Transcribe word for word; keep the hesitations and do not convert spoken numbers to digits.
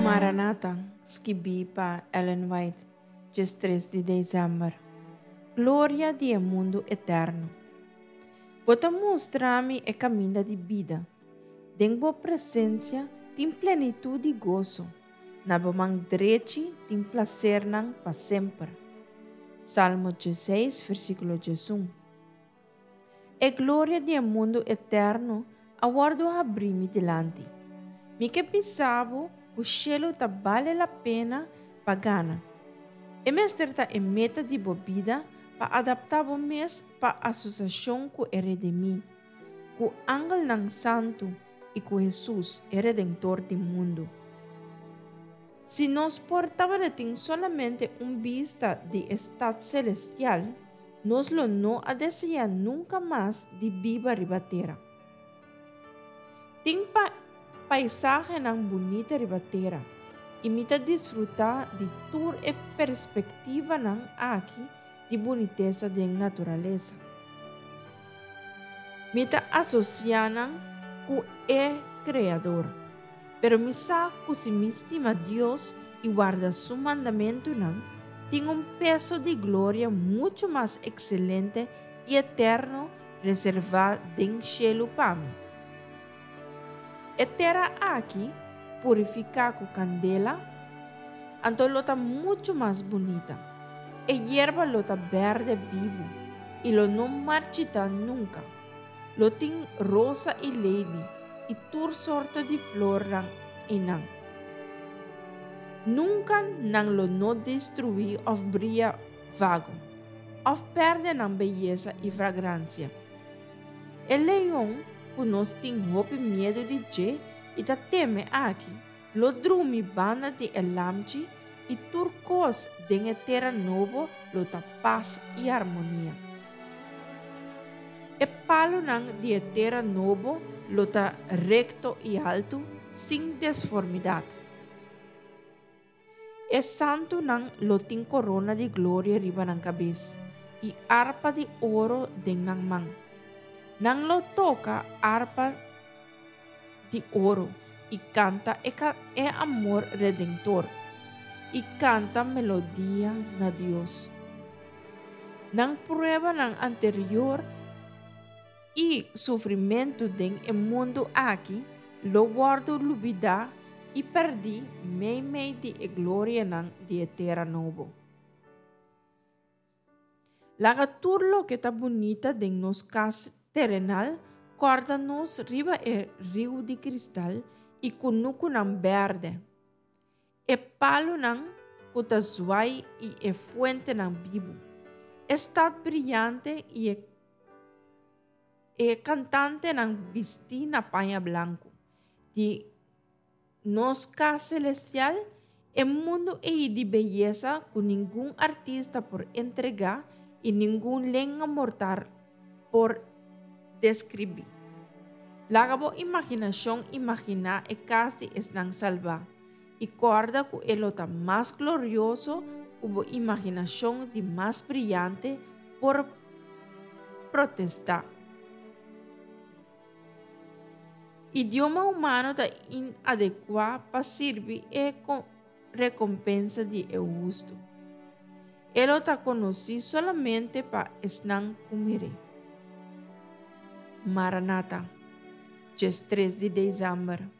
Maranata, skibí pa Ellen White, diestres di desèmber. Gloria di e mundu eterno. Bo ta mustra mi e kaminda di bida. Den bo presensia tin plenitut di goso. Na bo man drechi tin plasernan pa semper. Salmo diesseis, versíkulo diesun. E gloria di e mundu eterno a wòrdu habrí mi dilanti. Mi ke bisa bo ku shelu ta bale la pena pa gana. E mester ta e meta di bo bida pa adaptá bo mes pa asosiashon ku e Redimí, ku angelnan santu i ku Hesus, e Redentor di mundu. Si nos por tabatin solamente un bista di e stat selestial, nos lo no a deseá nunka mas di biba riba tera. Tin pa paisahenan bunita riba tera i mi ta disfrutá di tur e perspektivanan aki di bunitesa den naturalesa. Mi ta asosiá nan ku e Kreador. Pero mi sa ku si mi stima Dios i warda su mandamentunan, tin un peso di gloria muchu mas ekselente i eterno reservá den shelu pa mi. E tera aki, purifiká ku kandela, anto lo ta muchu mas bunita. E yerba lo ta bèrdè bibu i lo no marchitá nunka. Lo tin rosa i leili i tur sorto di flornan einan. Nunka nan lo no destruí òf bria vago, òf pèrdè nan beyesa i fragransia. E leon ku nos tin hopi miedu di dje i ta teme aki, lo drumi banda di e lamchi i tur kos den e tera nobo lo ta pas i harmonia. E palunan di e tera nobo lo ta rekto i altu, sin desformidat. E santunan lo tin korona di gloria riba nan kabes i arpa di oro den nan man. Nan lo toka arpa di oro i kanta e, e amor redentor i kanta melodia na Dios. Nan pruebanan anterior i sufrimentu den e mundu aki lo wòrdu lubidá i pèrdí meimei di e glorianan di e tera nobo. Laga tur loke ta bunita den nos kas terenal kòrda nos riba e riu di kristal i kunukunan bèrdè. E palunan ku ta zwai i e fuentenan bibu. E stat briante i e, e kantantenan bistí na paña blanku. Di nos kas selestial, e mundu ei di beyesa ku ningun artista por entregá i ningun lenga mortal por deskribí. Laga bo imaginashon imaginá e kas di esnan salbá i kòrda ku e lo ta mas glorioso ku bo imaginashon di mas briante por protestá. Idioma humano ta inadekuá pa sirbi e rekompensa di e hustu. E lo ta konosí solamente pa esnan ku mir'é. Maranata, diestres di desèmber.